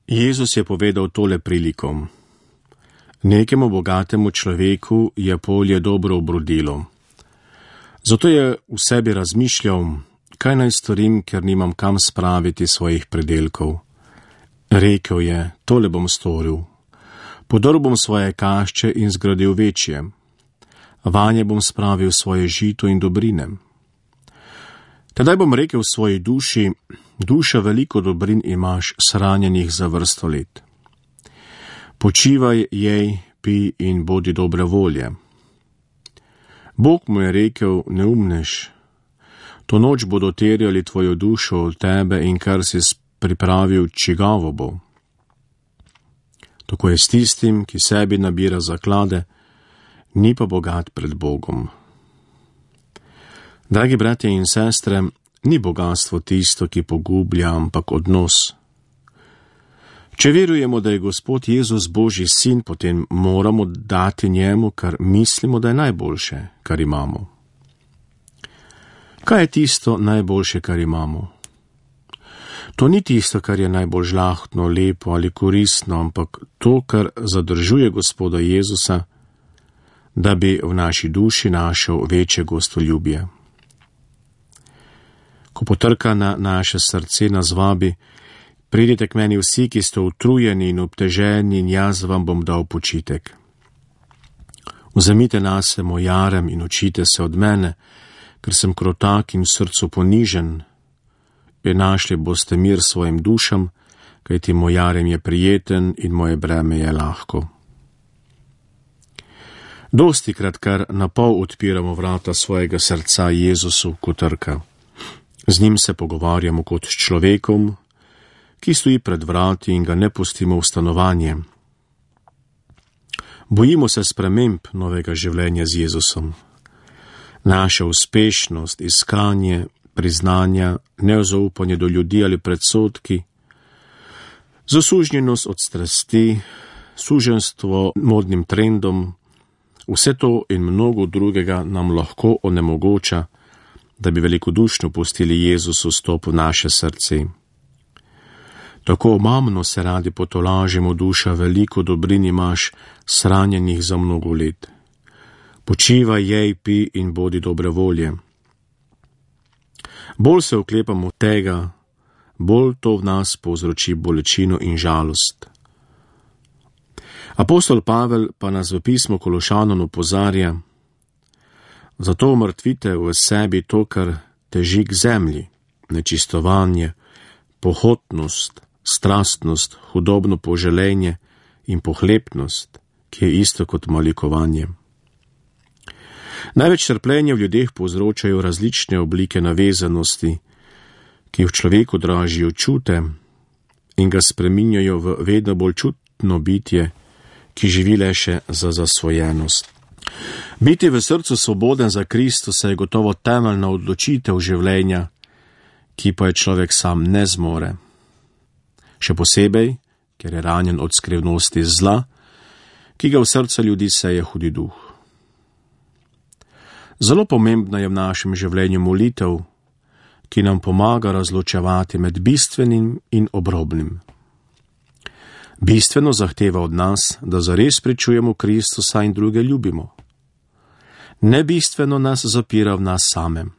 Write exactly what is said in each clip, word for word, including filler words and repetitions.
Jezus je povedal tole prilikom. Nekemu bogatemu človeku je polje dobro obrodilo. Zato je v sebi razmišljal, kaj naj storim, ker nimam kam spraviti svojih predelkov. Rekel je, tole bom storil. Podrl bom svoje kašče in zgradil večje. Vanje bom spravil svoje žito in dobrine. Tedaj bom rekel v svoji duši, duša, veliko dobrin imaš shranjenih za vrsto let. Počivaj, jej, pi in bodi dobre volje. Bog mu je rekel, neumnež, to noč bodo terjali tvojo dušo od tebe in kar si pripravil, čigavo bo. Tako je s tistim, ki sebi nabira zaklade, ni pa bogat pred Bogom. Dragi bratje in sestre, ni bogatstvo tisto, ki pogublja, ampak odnos. Če verujemo, da je Gospod Jezus Božji sin, potem moramo dati njemu, kar mislimo, da je najboljše, kar imamo. Kaj je tisto najboljše, kar imamo? To ni tisto, kar je najbolj žlahtno, lepo ali koristno, ampak to, kar zadržuje Gospoda Jezusa, da bi v naši duši našel večje gostoljubje. Ko potrka na naše srce, nas vabi, pridite k meni vsi, ki ste utrujeni in obteženi, in jaz vam bom dal počitek. Vzemite nase moj jarem in učite se od mene, ker sem krotak in v srcu ponižen, in našli boste mir svojim dušam, kajti moj jarem je prijeten in moje breme je lahko. Dostikrat kar na pol odpiramo vrata svojega srca Jezusu, ko trka. Z njim se pogovarjamo kot s človekom, ki stoji pred vrati, in ga ne pustimo v stanovanje. Bojimo se sprememb novega življenja z Jezusom. Naša uspešnost, iskanje, priznanja, nezaupanje do ljudi ali predsodki, zasužnjenost od strasti, suženstvo modnim trendom, vse to in mnogo drugega nam lahko onemogoča, da bi velikodušno pustili Jezusu vstop v naše srce. Tako omamno se radi potolažimo, duša, veliko dobrin imaš shranjenih za mnogo let. Počivaj, jej, pi in bodi dobre volje. Bolj se oklepamo tega, bolj to v nas povzroči bolečino in žalost. Apostol Pavel pa nas v pismu Kološanom opozarja, zato umrtvite v sebi to, kar teži k zemlji, nečistovanje, pohotnost, strastnost, hudobno poželenje in pohlepnost, ki je isto kot malikovanje. Največ trpljenja v ljudeh povzročajo različne oblike navezanosti, ki v človeku dražijo čute in ga spreminjajo v vedno bolj čutno bitje, ki živi le še za zasvojenost. Biti v srcu svoboden za Kristusa je gotovo temeljna odločitev življenja, ki pa je človek sam ne zmore. Še posebej, ker je ranjen od skrivnosti zla, ki ga v srca ljudi seje hudi duh. Zelo pomembna je v našem življenju molitev, ki nam pomaga razločevati med bistvenim in obrobnim. Bistveno zahteva od nas, da zares pričujemo Kristusa in druge ljubimo. Nebistveno nas zapira v nas samem.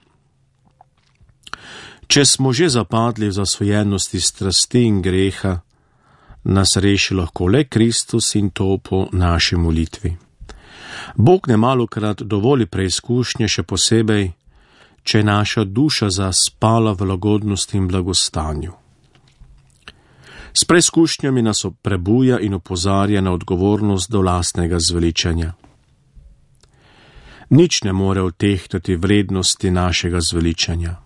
Če smo že zapadli v zasvojenosti strasti in greha, nas reši lahko le Kristus in to po naši molitvi. Bog nemalokrat dovoli preizkušnje, še posebej, če je naša duša zaspala v lagodnosti in blagostanju. S preizkušnjami nas prebuja in opozarja na odgovornost do lastnega zveličanja. Nič ne more odtehtati vrednosti našega zveličanja.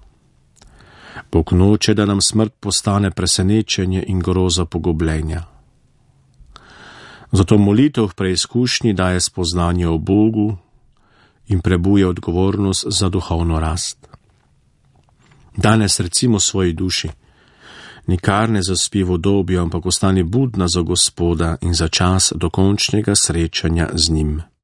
Bog noče, da nam smrt postane presenečenje in groza pogubljenja. Zato molitev v preizkušnji daje spoznanje o Bogu in prebuja odgovornost za duhovno rast. Danes recimo svoji duši, nikar ne zaspi v udobju, ampak ostani budna za Gospoda in za čas dokončnega srečanja z njim.